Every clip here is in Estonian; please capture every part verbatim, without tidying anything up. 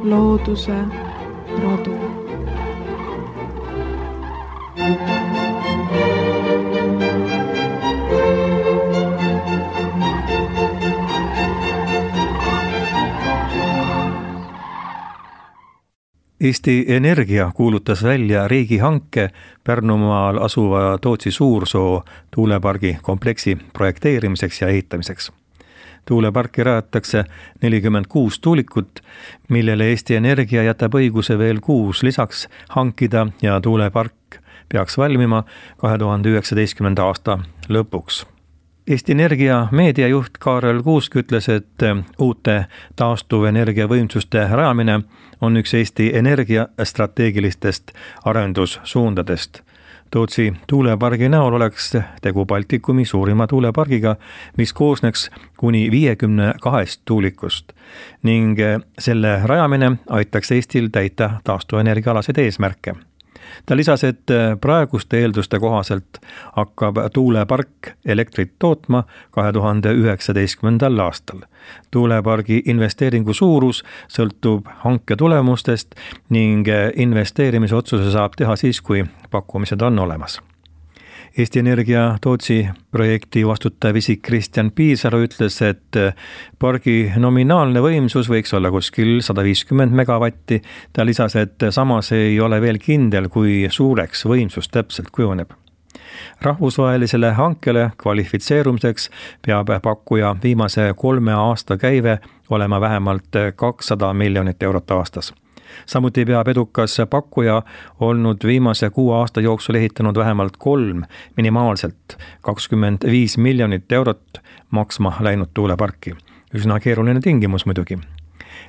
looduse rodu. Eesti Energia kuulutas välja riigihanke Pärnumaal asuva Tootsi Suursoo tuulepargi kompleksi projekteerimiseks ja ehitamiseks. Tuuleparki rajatakse nelikümmend kuus tuulikut, millele Eesti Energia jätab õiguse veel kuus lisaks hankida ja tuulepark peaks valmima kahe tuhande üheksateistkümnenda aasta lõpuks. Eesti Energia meediajuht Kaarel Kuusk ütles, et uute taastuvenergia võimsuste rajamine on üks Eesti Energia strateegilistest arendussuundadest. Tootsi tuulepargi näol oleks tegu Baltikumi suurima tuulepargiga, mis koosneks kuni viiekümne kahest tuulikust ning selle rajamine aitaks Eestil täita taastuvenergiaalaseid eesmärke. Ta lisas, et praeguste eelduste kohaselt hakkab tuulepark elektrit tootma kahe tuhande üheksateistkümnendal aastal. Tuulepargi investeeringu suurus sõltub hanke tulemustest ning investeerimisotsuse saab teha siis, kui pakkumised on olemas. Eesti Energia Tootsi projekti vastutav isik Kristjan Piisalu ütles, et pargi nominaalne võimsus võiks olla kuskil sada viiskümmend megavatti. Ta lisas, et samas ei ole veel kindel, kui suureks võimsus täpselt kujuneb. Rahvusvahelisele hankele kvalifitseerumiseks peab pakkuja viimase kolme aasta käive olema vähemalt kakssada miljonit eurot aastas. Samuti peab edukas pakkuja olnud viimase kuue aasta jooksul ehitanud vähemalt kolm minimaalselt kakskümmend viis miljonit eurot maksma läinud tuuleparki. Üsna keeruline tingimus muidugi.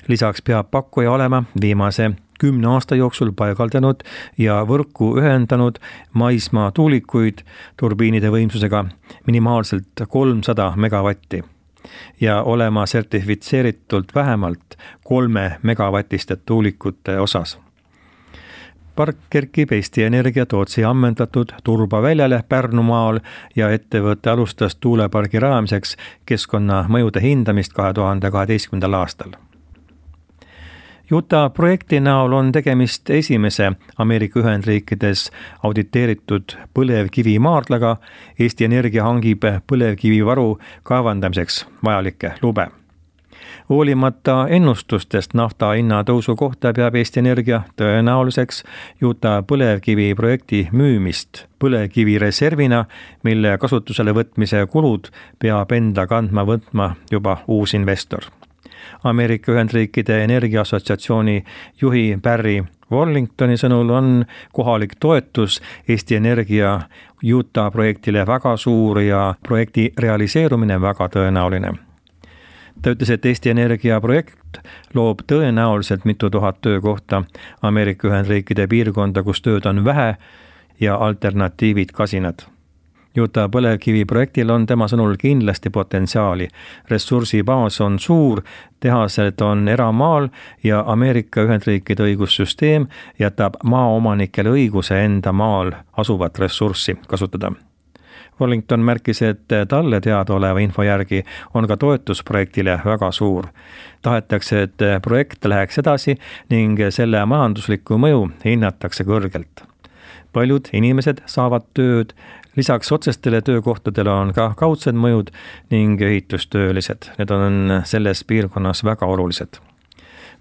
Lisaks peab pakkuja olema viimase kümne aasta jooksul paigaldanud ja võrku ühendanud maismaa tuulikuid turbiinide võimsusega minimaalselt kolmsada megavatti. Ja olema sertifitseeritult vähemalt kolme megavatiste tuulikute osas. Park kerkib Eesti Energia Tootsi ammendatud turbaväljale Pärnumaal ja ettevõte alustas tuulepargi rajamiseks keskkonnamõjude hindamist kahe tuhande kaheteistkümnendal aastal. Utah projekti näol on tegemist esimese Ameerika Ühendriikides auditeeritud põlevkivi maardlaga. Eesti Energia hangib põlevkivivaru kaevandamiseks vajalikke lube. Hoolimata ennustustest nafta hinna tõusu kohta peab Eesti Energia tõenäoliseks Utah põlevkivi projekti müümist põlevkivi reservina, mille kasutusele võtmise kulud peab enda kandma võtma juba uus investor. Ameerika Ühendriikide Energiaassotsiatsiooni juhi Barry Wallingtoni sõnul on kohalik toetus Eesti Energia Utah projektile väga suur ja projekti realiseerumine väga tõenäoline. Ta ütles, et Eesti Energia projekt loob tõenäoliselt mitu tuhat töökohta Ameerika Ühendriikide piirkonda, kus tööd on vähe ja alternatiivid kasinad. Utah põlevkivi projektil on tema sõnul kindlasti potentsiaali. Ressursibaas on suur, tehased on eramaal ja Ameerika Ühendriikide õigussüsteem jätab maaomanikele õiguse enda maal asuvat ressurssi kasutada. Wallington märkis, et talle teada oleva info järgi on ka toetusprojektile väga suur. Tahetakse, et projekt läheks edasi ning selle majanduslikku mõju hinnatakse kõrgelt. Paljud inimesed saavad tööd, lisaks otsestele töökohtadele on ka kaudsed mõjud ning ehitustöölised. Need on selles piirkonnas väga olulised.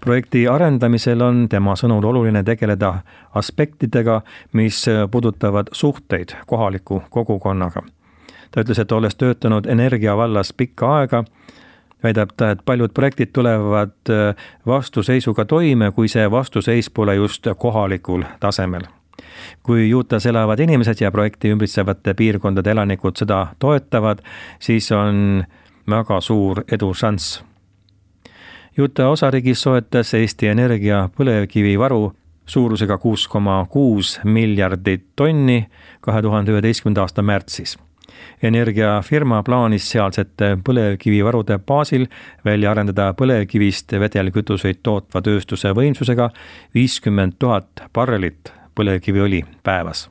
Projekti arendamisel on tema sõnul oluline tegeleda aspektidega, mis puudutavad suhteid kohaliku kogukonnaga. Ta ütles, et olles töötanud energia vallas pikka aega, väidab ta, et paljud projektid tulevad vastuseisuga toime, kui see vastuseis pole just kohalikul tasemel. Kui Utah's elavad inimesed ja projekti ümbritsevate piirkondade elanikud seda toetavad, siis on väga suur edu šanss. Utah osariigis soetas Eesti Energia põlevkivivaru suurusega kuus koma kuus miljardit tonni kahe tuhande üheteistkümnenda aasta märtsis. Energiafirma plaanis sealsete põlevkivivarude baasil välja arendada põlevkivist vedelkütuseid tootva tööstuse võimsusega viiskümmend tuhat barrelit põlevkiviõli päevas.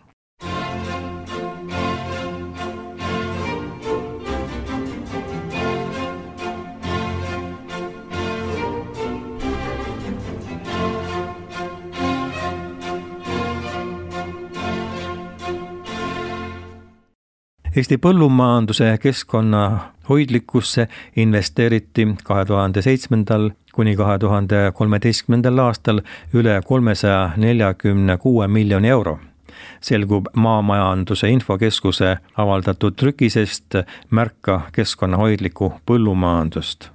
Eesti põllumajanduse keskkonna hoidlikkusse investeeriti kahe tuhande seitsmendal kuni kahe tuhande kolmeteistkümnendal aastal üle kolmesaja neljakümne kuue miljoni euro. Selgub Maamajanduse Infokeskuse avaldatud trükisest Märka keskkonnahoidlikku põllumajandust.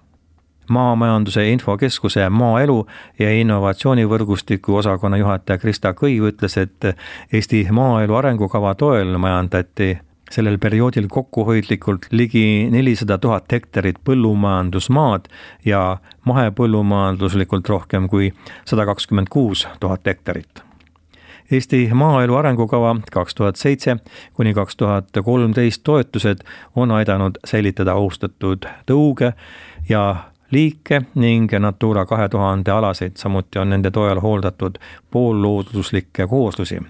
Maamajanduse Infokeskuse maaelu ja innovatsioonivõrgustiku osakonna juhataja Krista Kõiv ütles, et Eesti maaelu arengukava toel majandati sellel perioodil kokkuhoidlikult ligi nelisada tuhat hektarit põllumajandusmaad ja mahepõllumajanduslikult rohkem kui sada kakskümmend kuus tuhat hektarit. Eesti maaelu arengukava kaks tuhat seitse kuni kaks tuhat kolmteist toetused on aidanud säilitada austatud tõuge ja liike ning Natura kahe tuhande alaseid, samuti on nende toel hooldatud poollooduslikke kooslusi.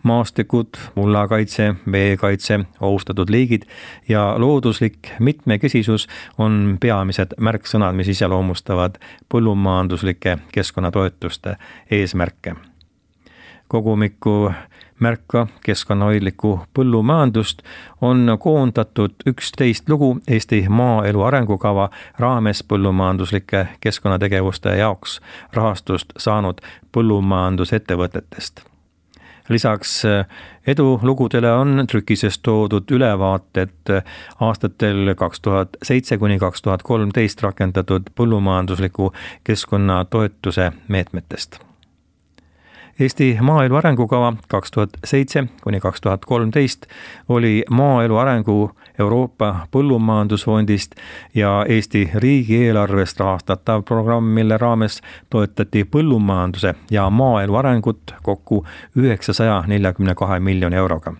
Maastikud, mullakaitse, veekaitse, ohustatud liigid ja looduslik mitmekesisus on peamised märksõnad, mis iseloomustavad põllumajanduslike keskkonnatoetuste eesmärke. Kogumikku Märka keskkonnahoidlikku põllumajandust on koondatud üksteist lugu Eesti maaelu arengukava raames põllumajanduslike keskkonnategevuste jaoks rahastust saanud põllumajandusettevõtetest. Lisaks edulugudele on trükises toodud ülevaated aastatel kaks tuhat seitse kuni kaks tuhat kolmteist rakendatud põllumajandusliku keskkonnatoetuse meetmetest. Eesti maaelu arengukava kaks tuhat seitse kuni kaks tuhat kolmteist oli maaelu arengu Euroopa Põllumajandusfondist ja Eesti riigieelarvest rahastatav programm, mille raames toetati põllumajanduse ja maaelu arengut kokku üheksasaja neljakümne kahe miljoni euroga.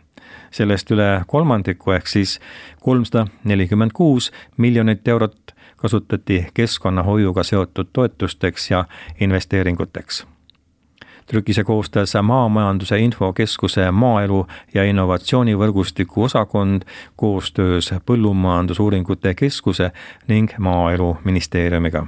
Sellest üle kolmandiku ehk siis kolmsada nelikümmend kuus miljonit eurot kasutati keskkonnahoiuga seotud toetusteks ja investeeringuteks. Trükise koostas Maamajanduse Infokeskuse maaelu ja innovatsioonivõrgustiku osakond koostöös Põllumajandusuuringute Keskuse ning Maaeluministeeriumiga.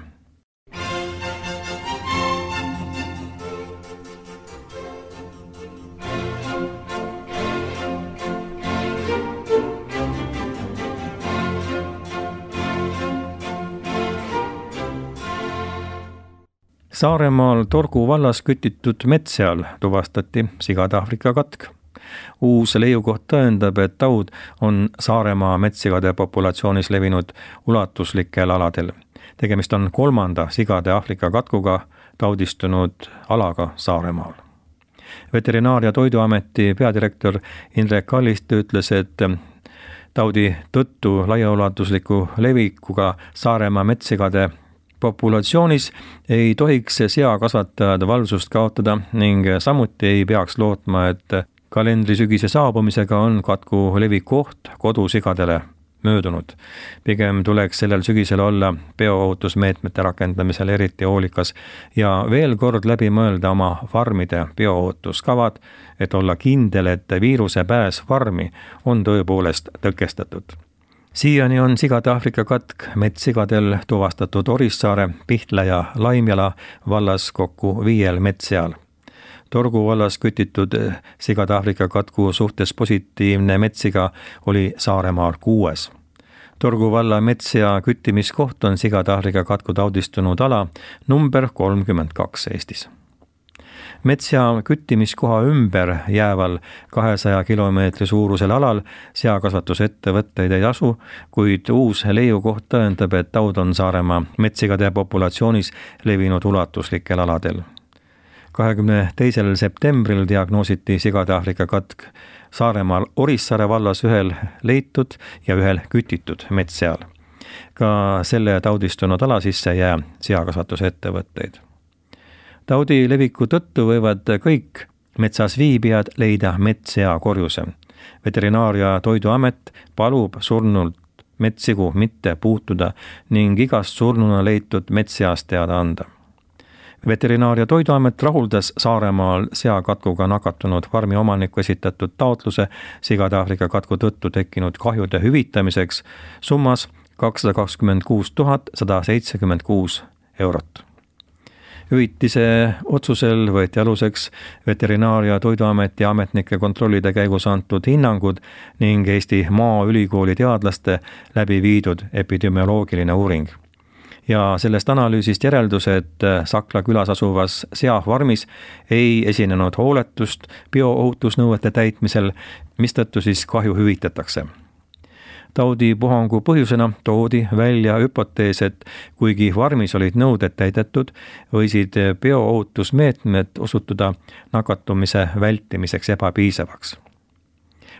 Saaremaal Torgu vallas kütitud metseal tuvastati sigade Aafrika katk. Uus leiukoht tõendab, et taud on Saaremaa metsigade populatsioonis levinud ulatuslikel aladel. Tegemist on kolmanda sigade Aafrika katkuga taudistunud alaga Saaremaal. Veterinaar- ja Toiduameti peadirektor Indrek Kallist ütles, et taudi tõttu laiaulatusliku levikuga Saaremaa metsigade populatsioonis ei tohiks seakasvatajad valvsust kaotada ning samuti ei peaks lootma, et kalendrisügise saabumisega on katku leviku oht kodusigadele möödunud. Pigem tuleks sellel sügisel olla bioohutusmeetmete rakendamisel eriti hoolikas ja veel kord läbi mõelda oma farmide bioohutuskavad, et olla kindel, et viiruse pääs farmi on tõepoolest tõkestatud. Siiani on sigade Aafrika katk metssigadel tuvastatud Orissaare, Pihtla ja Laimjala vallas kokku viiel metsseal. Torgu vallas kütitud sigade Aafrika katku suhtes positiivne metssiga oli Saaremaal kuues. Torgu valla metssea küttimiskoht on sigade Aafrika katku taudistunud ala number kolmkümmend kaks Eestis. Metssea küttimiskoha ümber jääval kahesaja kilomeetri suurusel alal seakasvatusettevõtteid ei asu, kuid uus leiukoht tõendab, et taud on Saaremaa metsigade populatsioonis levinud ulatuslikel aladel. kahekümne teisel septembril diagnoositi sigade Aafrika katk Saaremaal Orissaare vallas ühel leitud ja ühel kütitud metsseal. Ka selle taudistunud ala sisse jää seakasvatusettevõtteid. Taudi leviku tõttu võivad kõik metsas viibijad leida metssea korjuse. Veterinaar- ja Toiduamet palub surnult metssigu mitte puutuda ning igast surnuna leitud metsseast teada anda. Veterinaar- ja Toiduamet rahuldas Saaremaal seakatkuga nakatunud farmi omaniku esitatud taotluse sigade Aafrika katku tõttu tekkinud kahjude hüvitamiseks summas kakssada kakskümmend kuus tuhat sada seitsekümmend kuus eurot. hüvitise otsusel võeti aluseks Veterinaar- ja Toiduameti ametnike kontrollide käigus antud hinnangud ning Eesti Maaülikooli teadlaste läbi viidud epidemioloogiline uuring. Ja sellest analüüsist järeldus, et Sakla külas asuvas seafarmis ei esinenud hooletust bioohutusnõuete täitmisel, mistõttu siis kahju hüvitatakse. Taudipuhangu põhjusena toodi välja hüpotees, et kuigi farmis olid nõuded täidetud, võisid bioohutusmeetmed osutuda nakatumise vältimiseks ebapiisavaks.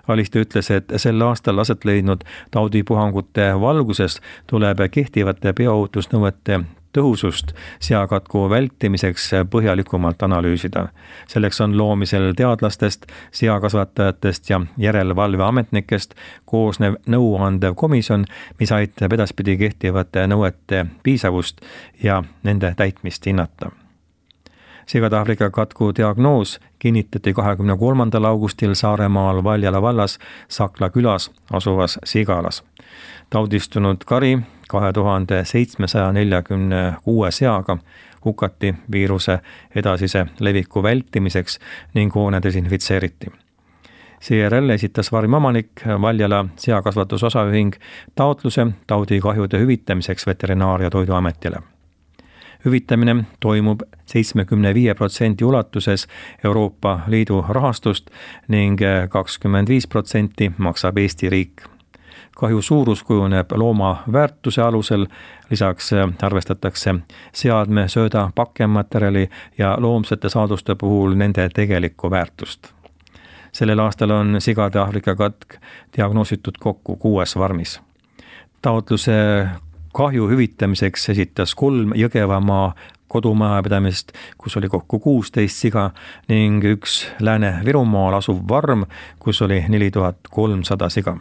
Aliste ütles, et sel aastal aset leidnud taudipuhangute valguses tuleb kehtivate bioohutusnõuete tõhusust seakatku vältimiseks põhjalikumalt analüüsida. Selleks on loomisel teadlastest, seakasvatajatest ja järelevalveametnikest koosnev nõuandev komisjon, mis aitab edaspidi kehtivate nõuete piisavust ja nende täitmist hinnata. Sigade-Aafrika katku diagnoos kinnitati kahekümne kolmandal augustil Saaremaal Valjala vallas Sakla külas asuvas Sigalas. Taudistunud kari kahe tuhande seitsmesaja neljakümne kuue seaga hukati viiruse edasise leviku vältimiseks ning hoone desinfitseeriti. Seejärel esitas farmi omanik Valjala seakasvatusosaühing taotluse taudikahjude hüvitamiseks Veterinaar- ja Toiduametile. Hüvitamine toimub seitsmekümne viie protsendi ulatuses Euroopa Liidu rahastust ning kakskümmend viis protsenti maksab Eesti riik. Kahju suurus kujuneb looma väärtuse alusel, lisaks arvestatakse seadme, sööda, pakkematerjali ja loomsete saaduste puhul nende tegelikku väärtust. Sellel aastal on Sigade-Aafrika katk diagnoositud kokku kuues farmis. Taotluse kahju hüvitamiseks esitas kolm Jõgevamaa kodumajapidamist, kus oli kokku kuusteist siga ning üks Lääne-Virumaal asuv farm, kus oli neli tuhat kolmsada siga.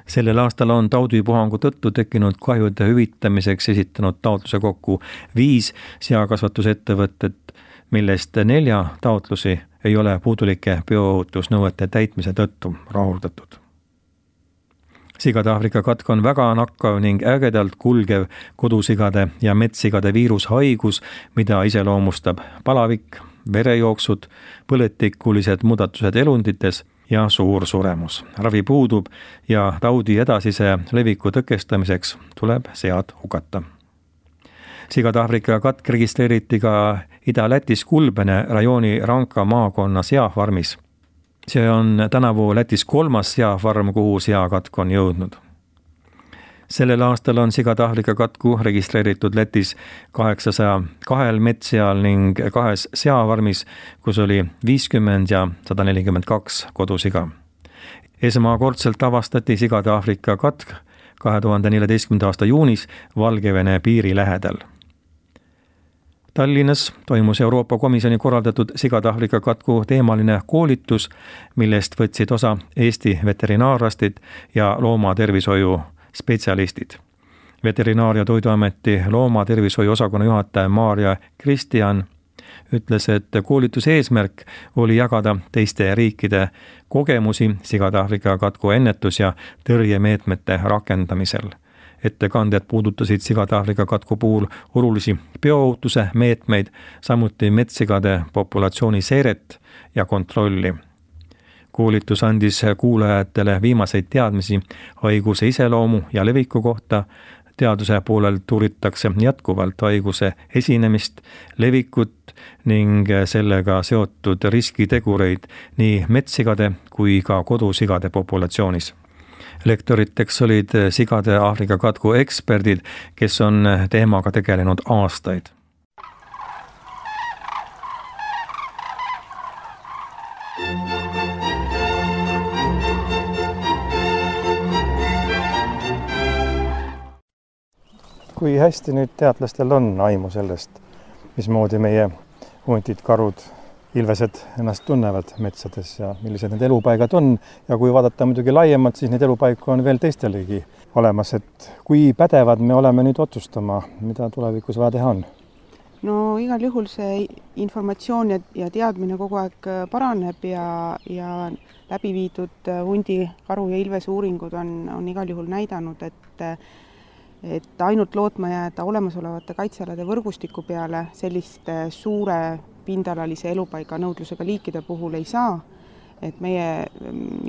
Sellel aastal on taudipuhangu tõttu tekkinud kahjude hüvitamiseks esitanud taotluse kokku viis seakasvatusettevõtet, millest nelja taotlusi ei ole puudulike bioohutusnõuete täitmise tõttu rahuldatud. Sigade-Aafrika katk on väga nakkav ning ägedalt kulgev kodusigade ja metssigade viirushaigus, mida iseloomustab palavik, verejooksud, põletikulised muudatused elundites ja suur suremus. Ravi puudub ja taudi edasise leviku tõkestamiseks tuleb sead hukata. Sigade-Aafrika katk registreeriti ka Ida-Lätis Kulbene rajooni Ranka maakonna seafarmis. See on tänavu Lätis kolmas seafarm, kuhu seakatk on jõudnud. Sellel aastal on Sigade-Aafrika katku registreeritud Lätis kaheksasaja kahel metsseal ning kahes seafarmis, kus oli viiskümmend ja sada nelikümmend kaks kodusiga. Esmakordselt avastati Sigade-Aafrika katk kahe tuhande neljateistkümnenda aasta juunis Valgevene piiri lähedal. Tallinnas toimus Euroopa Komisjoni korraldatud Sigade-Aafrika katku teemaline koolitus, millest võtsid osa Eesti veterinaararstid ja loomatervishoiu spetsialistid. Veterinaar- ja Toiduameti loomatervishoiu osakonna juhataja Maarja Kristjan ütles, et koolituse eesmärk oli jagada teiste riikide kogemusi Sigade-Aafrika katku ennetus- ja tõrjemeetmete rakendamisel. Ettekanded puudutasid Sigade-Aafrika katku puhul olulisi bioohutuse meetmeid, samuti metssigade populatsiooni seiret ja kontrolli. Koolitus andis kuulajatele viimaseid teadmisi haiguse iseloomu ja leviku kohta. Teaduse poolelt uuritakse jätkuvalt haiguse esinemist, levikut ning sellega seotud riskitegureid nii metssigade kui ka kodusigade populatsioonis. Lektoriteks olid Sigade-Aafrika katku eksperdid, kes on teemaga tegelenud aastaid. Kui hästi nüüd teadlastel on aimu sellest, mismoodi meie huntid, karud, ilvesed ennast tunnevad metsades ja millised need elupaigad on, ja kui vaadata muidugi laiemalt, siis neid elupaiku on veel teistelegi olemas, et kui pädevad me oleme nüüd otsustama, mida tulevikus vaja teha on? No igal juhul see informatsioon ja, ja teadmine kogu aeg paraneb ja, ja läbi viidud hundi, karu ja ilvese uuringud on, on igal juhul näidanud, et et ainult lootma jääda olemasolevate kaitsealade võrgustiku peale selliste suure pindalalise elupaiga nõudlusega liikide puhul ei saa, et meie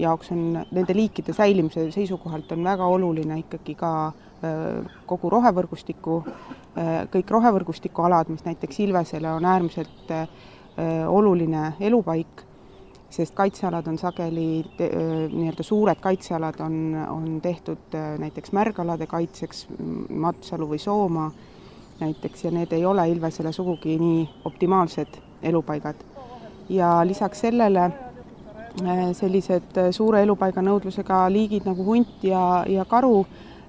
jaoks on nende liikide säilimise seisukohalt on väga oluline ikkagi ka kogu rohevõrgustiku, kõik rohevõrgustiku alad, mis näiteks Ilvesele on äärmiselt oluline elupaik, sest kaitsealad on sageli, nii-öelda suured kaitsealad on, on tehtud näiteks märgalade kaitseks, Matsalu või Soomaa näiteks, ja need ei ole Ilvesele sugugi nii optimaalsed elupaigad. Ja lisaks sellele sellised suure elupaiga nõudlusega liigid nagu hunt ja, ja karu,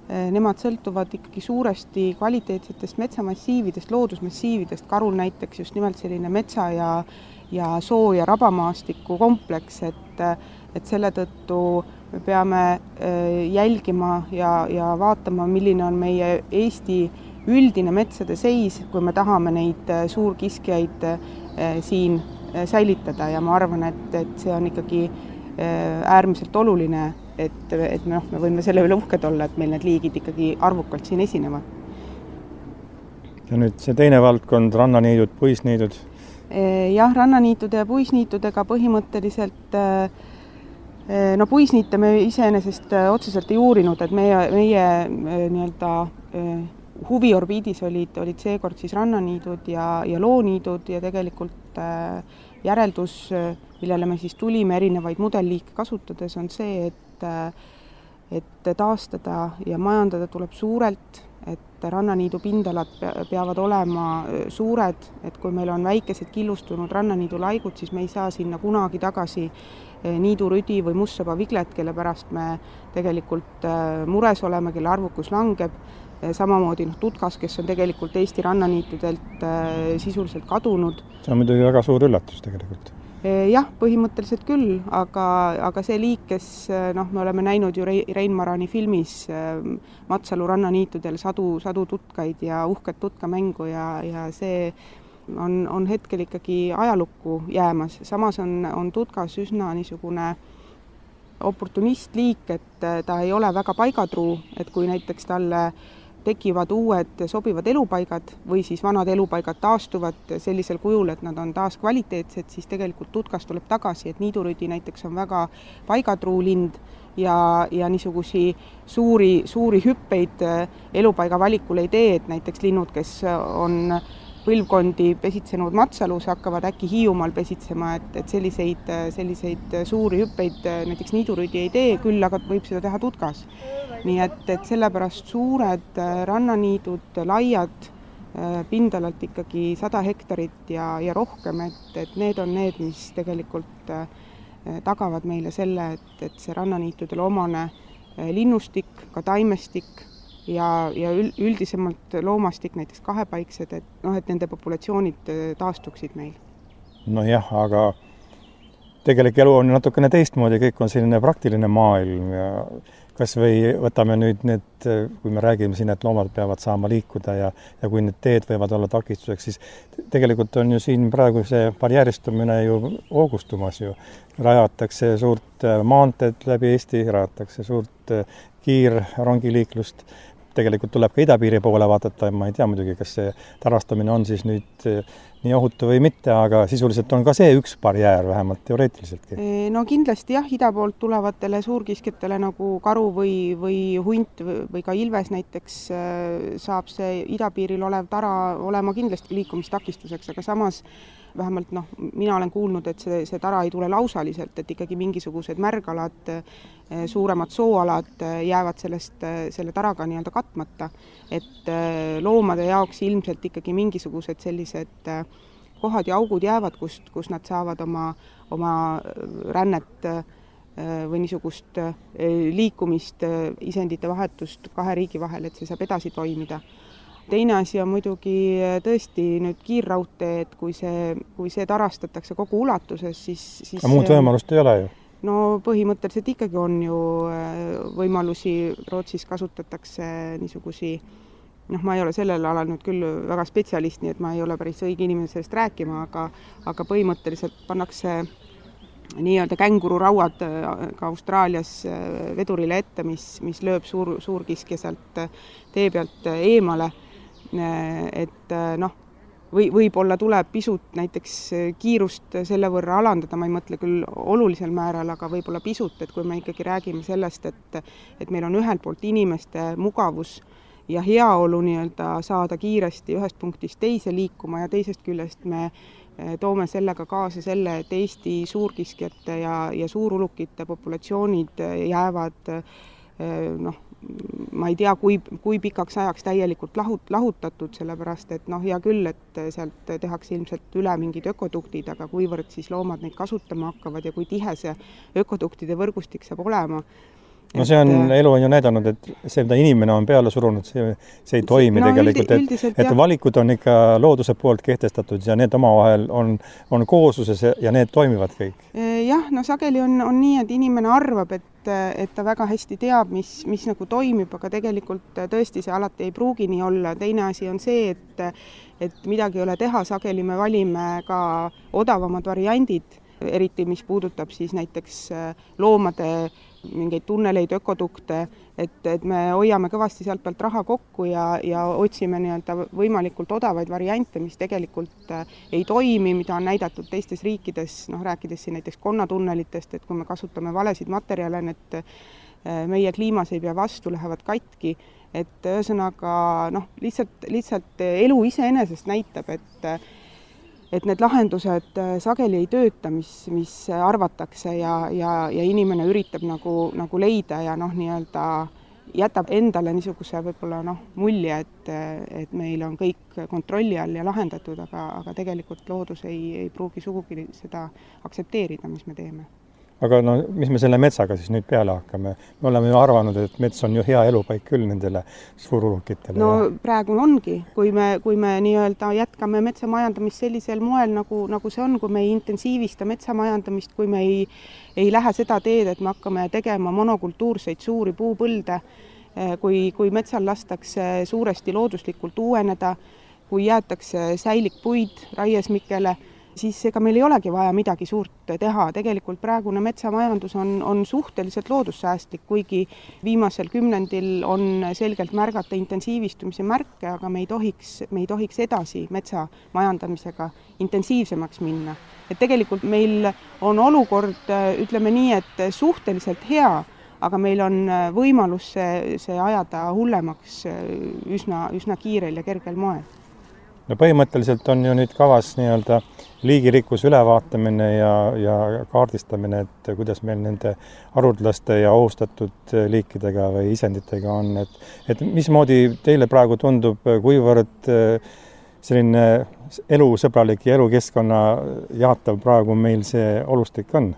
nemad sõltuvad ikkagi suuresti kvaliteetsetest metsamassiividest, loodusmassiividest, karul näiteks just nimelt selline metsa ja, ja soo- ja rabamaastiku kompleks, et, et selle tõttu me peame jälgima ja, ja vaatama, milline on meie Eesti üldine metsade seis, kui me tahame neid suurkiskjaid siin säilitada ja ma arvan, et, et see on ikkagi äärmiselt oluline, et, et noh, me võime selle üle uhked olla, et meil need liigid ikkagi arvukalt siin esinevad. Ja nüüd see teine valdkond, rannaniidud, puisniidud? Jah, rannaniitude ja puisniitudega põhimõtteliselt, no puisniite me iseenesest otseselt ei uurinud, et meie, meie nii-öelda huviorbiidis olid, olid seekord siis rannaniidud ja, ja looniidud ja tegelikult järeldus, millele me siis tulime erinevaid mudelliike kasutades, on see, et, et taastada ja majandada tuleb suurelt, et rannaniidu pindalad peavad olema suured, et kui meil on väikesed killustunud rannaniidu laigud, siis me ei saa sinna kunagi tagasi niidurüdi või mustsaba viglet, kelle pärast me tegelikult mures oleme, kelle arvukus langeb. Samamoodi noh, tutkas, kes on tegelikult Eesti rannaniitudelt sisuliselt kadunud. See on muidugi väga suur üllatus tegelikult. Jah, põhimõtteliselt küll, aga, aga see liik, kes noh, me oleme näinud ju Rein Marani filmis Matsalu rannaniitudel sadu, sadu tutkaid ja uhket tutkamängu ja, ja see on, on hetkel ikkagi ajalukku jäämas. Samas on, on tutkas üsna niisugune oportunistliik, et ta ei ole väga paigatruu, et kui näiteks talle tekivad uued sobivad elupaigad või siis vanad elupaigad taastuvad sellisel kujul, et nad on taas kvaliteetsed, siis tegelikult tutkas tuleb tagasi, et niidurüdi näiteks on väga paigatruu lind ja, ja niisugusi suuri, suuri hüppeid elupaiga valikul ei tee, et näiteks linnud, kes on põlvkondi pesitsenud Matsalus, hakkavad äkki Hiiumaal pesitsema, et, et selliseid, selliseid suuri hüppeid näiteks niidurüdi ei tee, küll aga võib seda teha tutkas. Nii et, et sellepärast suured rannaniidud, laiad, pindalalt ikkagi sada hektarit ja, ja rohkem, et, et need on need, mis tegelikult tagavad meile selle, et, et see rannaniitudel omane linnustik, ka taimestik, ja, ja üldisemalt loomastik, näiteks kahepaiksed, et, no, et nende populatsioonid taastuksid meil. No jah, aga tegelik elu on natukene teistmoodi, kõik on selline praktiline maailm ja kas või võtame nüüd need, kui me räägime siin, et loomad peavad saama liikuda ja, ja kui need teed võivad olla takistuseks, siis tegelikult on ju siin praegu see barjääristumine ju hoogustumas ju. Rajatakse suurt maanteed läbi Eesti, rajatakse suurt kiirrongiliiklust. Tegelikult tuleb ka idapiiri poole vaadata, ma ei tea muidugi, kas see tarastamine on siis nüüd nii ohutu või mitte, aga sisuliselt on ka see üks barjäär, vähemalt teoreetiliseltki. No kindlasti jah, ida poolt tulevatele suurkiskjatele nagu karu või, või hunt või ka ilves näiteks saab see idapiiril olev tara olema kindlasti liikumistakistuseks, aga samas vähemalt noh, mina olen kuulnud, et see, see tara ei tule lausaliselt, et ikkagi mingisugused märgalad, suuremad sooalad jäävad sellest, selle taraga nii-öelda katmata. Et loomade jaoks ilmselt ikkagi mingisugused sellised kohad ja augud jäävad, kust, kus nad saavad oma, oma rännet või niisugust liikumist, isendite vahetust kahe riigi vahel, et see saab edasi toimida. Teine asi on muidugi tõesti nüüd kiirraudtee, et kui see, kui see tarastatakse kogu ulatuses, siis... siis aga muud võimalust ei ole ju? No põhimõtteliselt ikkagi on ju võimalusi, Rootsis kasutatakse niisugusi, noh, ma ei ole sellel alal nüüd küll väga spetsialist, nii et ma ei ole päris õige inimene sellest rääkima, aga, aga põhimõtteliselt pannakse nii-öelda kängururauad ka Austraalias vedurile ette, mis, mis lööb suur, suurkiskja sealt tee pealt eemale, et noh, või võib-olla tuleb pisut näiteks kiirust selle võrra alandada, ma ei mõtle küll olulisel määral, aga võib-olla pisut, et kui me ikkagi räägime sellest, et, et meil on ühelt poolt inimeste mugavus ja heaolu nii-öelda saada kiiresti ühest punktist teise liikuma ja teisest küljest me toome sellega kaasa selle, et Eesti suurkiskjate ja, ja suurulukite populatsioonid jäävad noh, ma ei tea, kui, kui pikaks ajaks täielikult lahut, lahutatud, sellepärast et noh, hea küll, et sealt tehakse ilmselt üle mingid ökoduktid, aga kuivõrd siis loomad neid kasutama hakkavad ja kui tihe see ökoduktide võrgustik saab olema. No see on, elu on ju näidanud, et see, mida inimene on peale surunud, see, see ei toimi no, tegelikult, et, et valikud on ikka looduse poolt kehtestatud ja need omavahel on, on koosluses ja need toimivad kõik. Jah, no sageli on, on nii, et inimene arvab, et, et ta väga hästi teab, mis, mis nagu toimib, aga tegelikult tõesti see alati ei pruugi nii olla. Teine asi on see, et, et midagi ei ole teha, sageli me valime ka odavamad variandid, eriti mis puudutab siis näiteks loomade mingeid tunneleid, ökodukte, et, et me hoiame kõvasti sealt pealt raha kokku ja, ja otsime nii-öelda võimalikult odavaid variante, mis tegelikult ei toimi, mida on näidatud teistes riikides, noh rääkides siin näiteks konnatunnelitest, et kui me kasutame valesid materjale, need meie kliimas ei pea vastu, lähevad katki, et ühesõnaga noh, lihtsalt, lihtsalt elu iseenesest näitab, et et need lahendused sageli ei tööta, mis, mis arvatakse ja, ja, ja inimene üritab nagu, nagu leida ja noh, nii-öelda jätab endale niisuguse võib-olla noh, mulje, et, et meil on kõik kontrolli all ja lahendatud, aga, aga tegelikult loodus ei, ei pruugi sugugi seda aktsepteerida, mis me teeme. Aga no, mis me selle metsaga siis nüüd peale hakkame? Me oleme ju arvanud, et mets on ju hea elupaik küll nendele suurulukitele. No praegu ongi, kui me, kui me nii-öelda jätkame metsamajandamist sellisel moel, nagu, nagu see on, kui me ei intensiivista metsamajandamist, kui me ei, ei lähe seda teed, et me hakkame tegema monokultuurseid suuri puupõlde, kui, kui metsal lastakse suuresti looduslikult uueneda, kui jäetakse säilik puid raiesmikele, siis ega meil ei olegi vaja midagi suurt teha. Tegelikult praegune metsamajandus on, on suhteliselt loodussäästlik, kuigi viimasel kümnendil on selgelt märgata intensiivistumise märke, aga me ei tohiks, me ei tohiks edasi metsamajandamisega intensiivsemaks minna. Et tegelikult meil on olukord, ütleme nii, et suhteliselt hea, aga meil on võimalus see, see ajada hullemaks üsna, üsna kiirel ja kergel moel. No põhimõtteliselt on ju nüüd kavas nii-öelda liigirikkus ülevaatamine ja, ja kaardistamine, et kuidas meil nende haruldaste ja ohustatud liikidega või isenditega on. Et, et mismoodi teile praegu tundub, kuivõrd selline elusõbralik ja elukeskkonna jaatav praegu meil see olustik on?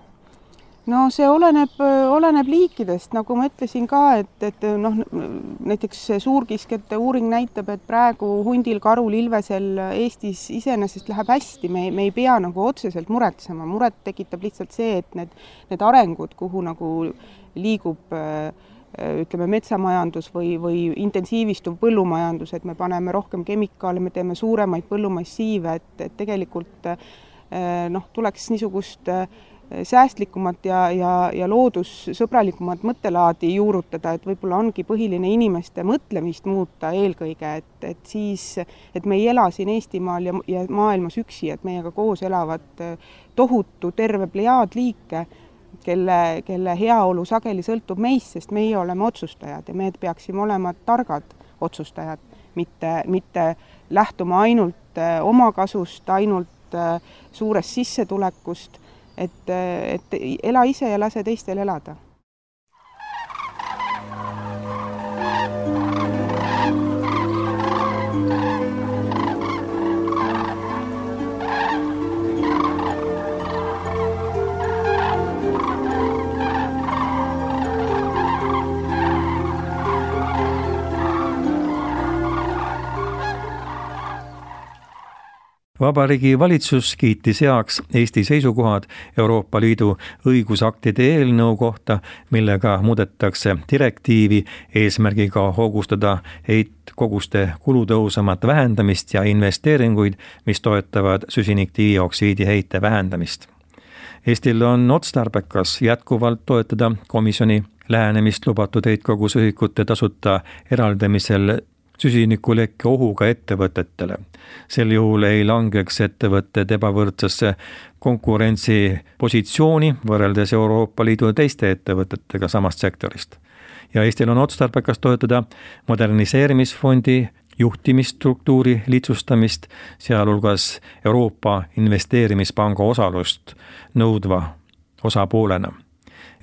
No see oleneb, oleneb liikidest, nagu ma ütlesin ka, et, et noh, näiteks suurkiskjate uuring näitab, et praegu hundil, karul, ilvesel Eestis iseenesest läheb hästi, me, me ei pea nagu otseselt muretsema. Muret tekitab lihtsalt see, et need, need arengud, kuhu nagu liigub ütleme metsamajandus või, või intensiivistuv põllumajandus, et me paneme rohkem kemikaale, me teeme suuremaid põllumassiive, et, et tegelikult noh, tuleks niisugust säästlikumat ja, ja, ja loodussõbralikumat mõttelaadi juurutada, et võib-olla ongi põhiline inimeste mõtlemist muuta eelkõige, et, et siis, et me ei ela siin Eestimaal ja, ja maailmas üksi, et meiega koos elavad tohutu terve plejaad liike, kelle, kelle heaolu sageli sõltub meist, sest meie oleme otsustajad ja me peaksime olema targad otsustajad, mitte, mitte lähtuma ainult oma kasust, ainult suurest sissetulekust, et, et ela ise ja lase teistel elada. Vabariigi valitsus kiitis heaks Eesti seisukohad Euroopa Liidu õigusaktide eelnõu kohta, millega muudetakse direktiivi eesmärgiga hoogustada heitkoguste kulutõhusamat vähendamist ja investeeringuid, mis toetavad süsinikdioksiidi heite vähendamist. Eestil on otstarbekas jätkuvalt toetada komisjoni lähenemist lubatud heitkogusühikute tasuta eraldamisel süsinikulekke ohuga ettevõtetele. Sel juhul ei langeks ettevõtted ebavõrdsesse konkurentsipositsiooni võrreldes Euroopa Liidu teiste ettevõtetega samast sektorist. Ja Eestil on otstarbekas toetada moderniseerimisfondi juhtimisstruktuuri lihtsustamist, sealhulgas Euroopa Investeerimispanga osalust nõudva osapoolena.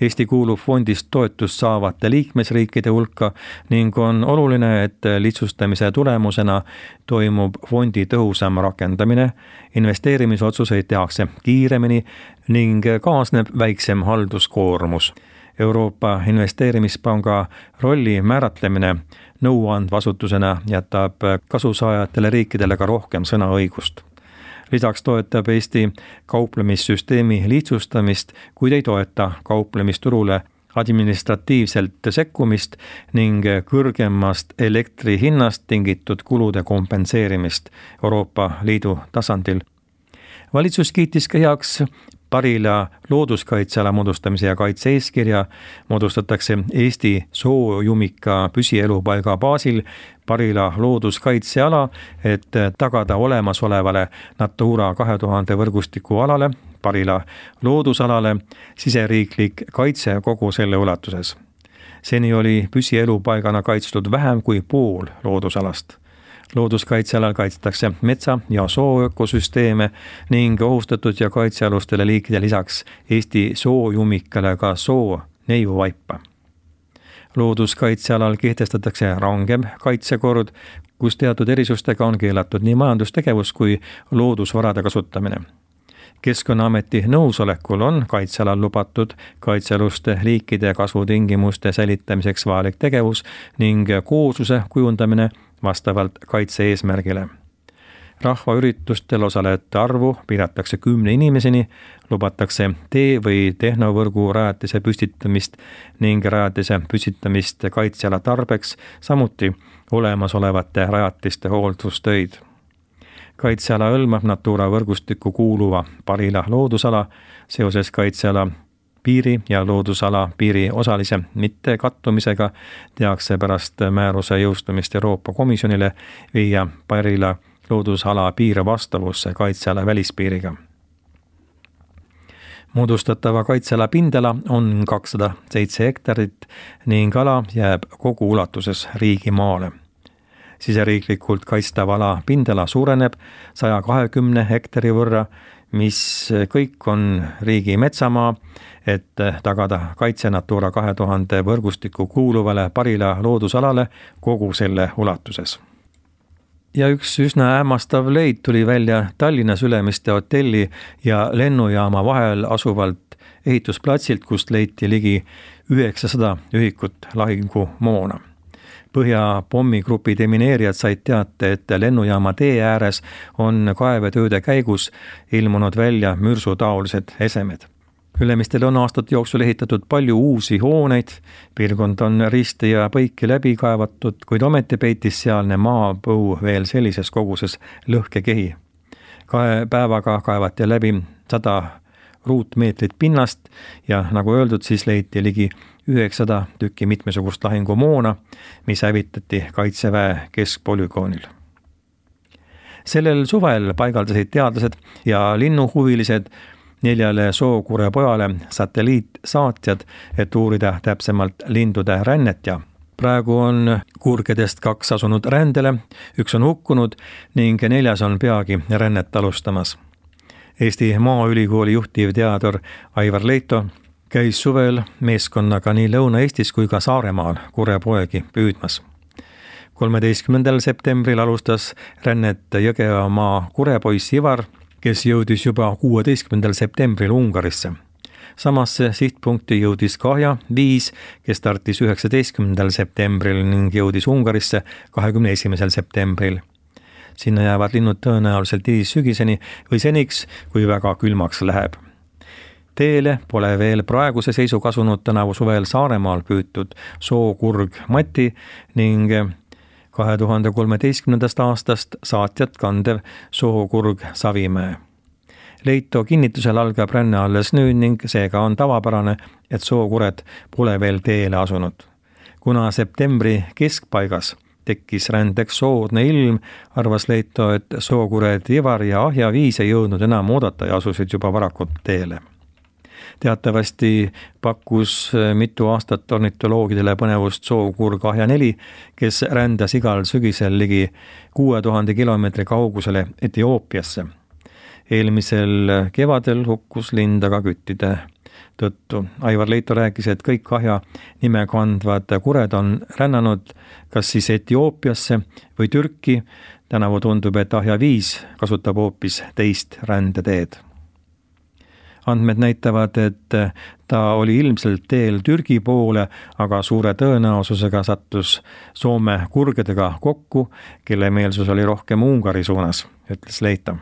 Eesti kuulub fondist toetust saavate liikmesriikide hulka ning on oluline, et lihtsustamise tulemusena toimub fondi tõhusam rakendamine, investeerimisotsuseid tehakse kiiremini ning kaasneb väiksem halduskoormus. Euroopa Investeerimispanga rolli määratlemine nõuandvasutusena jätab kasusaajatele riikidele ka rohkem sõnaõigust. Lisaks toetab Eesti kauplemissüsteemi lihtsustamist, kuid ei toeta kauplemisturule administratiivselt sekkumist ning kõrgemast elektri hinnast tingitud kulude kompenseerimist Euroopa Liidu tasandil. Valitsus kiitis ka heaks Parila looduskaitseala moodustamise ja kaitse eeskirja. Moodustatakse Eesti soojumika püsielupaiga baasil Parila looduskaitseala, et tagada olemasolevale Natura kahe tuhande võrgustiku alale, Parila loodusalale, siseriiklik kaitse kogu selle ulatuses. Seni oli püsielupaigana kaitstud vähem kui pool loodusalast. Looduskaitsealal kaitstakse metsa- ja sooökosüsteeme ning ohustatud ja kaitsealustele liikide lisaks Eesti soojumikale ka soo neiuvaipa. Looduskaitsealal kehtestatakse rangem kaitsekord, kus teatud erisustega on keelatud nii majandustegevus kui loodusvarade kasutamine. Keskkonnaameti nõusolekul on kaitsealal lubatud kaitsealuste liikide kasvutingimuste säilitamiseks vajalik tegevus ning koosluse kujundamine vastavalt kaitse eesmärgile. Rahvaüritustel osalejate arvu piiratakse kümne inimeseni, lubatakse tee- või tehnovõrgu rajatise püstitamist ning rajatise püstitamist kaitseala tarbeks, samuti olemasolevate rajatiste hooldustöid. Kaitseala hõlmab Natura võrgustikku kuuluva Parila loodusala seoses kaitseala piiri ja loodusala piiri osalise mitte kattumisega tehakse pärast määruse jõustumist Euroopa Komisjonile viia Parila loodusala piir vastavusse kaitseala välispiiriga. Moodustatava kaitseala pindala on kakssada seitse hektarit ning ala jääb kogu ulatuses riigimaale. Siseriiklikult kaitstav ala pindala suureneb saja kahekümne hektari võrra, mis kõik on riigi metsamaa, et tagada kaitse Natura kahe tuhande võrgustiku kuuluvale Parila loodusalale kogu selle ulatuses. Ja üks üsna hämmastav leid tuli välja Tallinnas Ülemiste hotelli ja lennujaama vahel asuvalt ehitusplatsilt, kust leiti ligi üheksasada ühikut lahingumoona. Põhja pommigrupi demineerijad said teate, et lennujaama tee ääres on kaevetööde käigus ilmunud välja mürsutaolised esemed. Ülemistel on aastate jooksul ehitatud palju uusi hooneid, piirkond on risti ja põiki läbi kaevatud, kuid ometi peitis sealne maapõu veel sellises koguses lõhkekehi. Kahe päevaga kaevati läbi sada ruutmeetrit pinnast ja nagu öeldud, siis leiti ligi üheksasada tükki mitmesugust lahingumoona, mis hävitati Kaitseväe keskpolügoonil. Sellel suvel paigaldasid teadlased ja linnuhuvilised neljale sookurepojale satelliitsaatjad, et uurida täpsemalt lindude rännet ja praegu on kurgedest kaks asunud rändele, üks on hukkunud ning neljas on peagi rännet alustamas. Eesti Maaülikooli juhtiv teadur Aivar Leito käis suvel meeskonnaga nii Lõuna-Eestis kui ka Saaremaal kurepoegi püüdmas. kolmeteistkümnendal septembril alustas rännet Jõgevamaa kurepoiss Ivar, kes jõudis juba kuueteistkümnendal septembril Ungarisse. Samasse sihtpunkti jõudis Kahja viis, kes startis üheksateistkümnendal septembril ning jõudis Ungarisse kahekümne esimesel septembril. Sinna jäävad linnud tõenäoliselt sügiseni või seniks, kui väga külmaks läheb. Teele pole veel praeguse seisu kasunud tänavu suvel Saaremaal püütud sookurg Mati ning kahe tuhande kolmeteistkümnendast aastast saatjat kandev sookurg Savimäe. Leito kinnitusel algab ränne alles nüüd ning seega on tavapärane, et sookured pole veel teele asunud. Kuna septembri keskpaigas tekkis rändeks soodne ilm, arvas Leito, et sookured Ivar ja Ahja viis ei jõudnud enam oodata ja asusid juba varakult teele. Teatavasti pakkus mitu aastat ornitoloogidele põnevust sookurg Ahja neli, kes rändas igal sügisel ligi kuue tuhande kilomeetri kaugusele Etioopiasse. Eelmisel kevadel hukkus lind aga küttide tõttu. Aivar Leito rääkis, et kõik Ahja nime kandvad kured on rännanud kas siis Etioopiasse või Türki. Tänavu tundub, et Ahja viis kasutab hoopis teist rändeteed. Andmed näitavad, et ta oli ilmselt teel Türgi poole, aga suure tõenäosusega sattus Soome kurgedega kokku, kelle meelsus oli rohkem Ungari suunas, ütles Leito.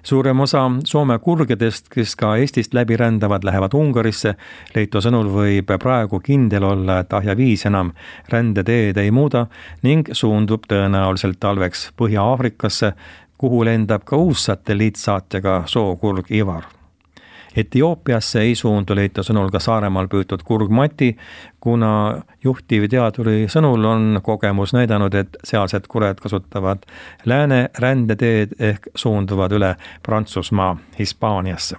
Suurem osa Soome kurgedest, kes ka Eestist läbi rändavad, lähevad Ungarisse. Leito sõnul võib praegu kindel olla, et Ahja viis enam rändeteed ei muuda ning suundub tõenäoliselt talveks Põhja-Aafrikasse, kuhu lendab ka uus satelliitsaatjaga sookurg Ivar. Etioopiasse ei suundu Leito sõnul ka Saaremaal püütud kurg Mati, kuna juhtivteaduri sõnul on kogemus näidanud, et sealsed kured kasutavad lääne rändeteed ehk suunduvad üle Prantsusmaa Hispaaniasse.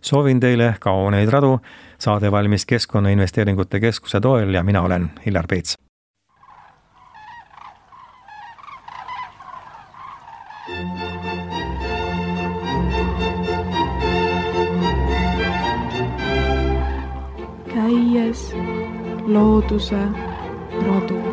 Soovin teile kauneid radu, saade valmis Keskkonnainvesteeringute Keskuse toel ja mina olen Hillar Peets. Käies looduse rodu.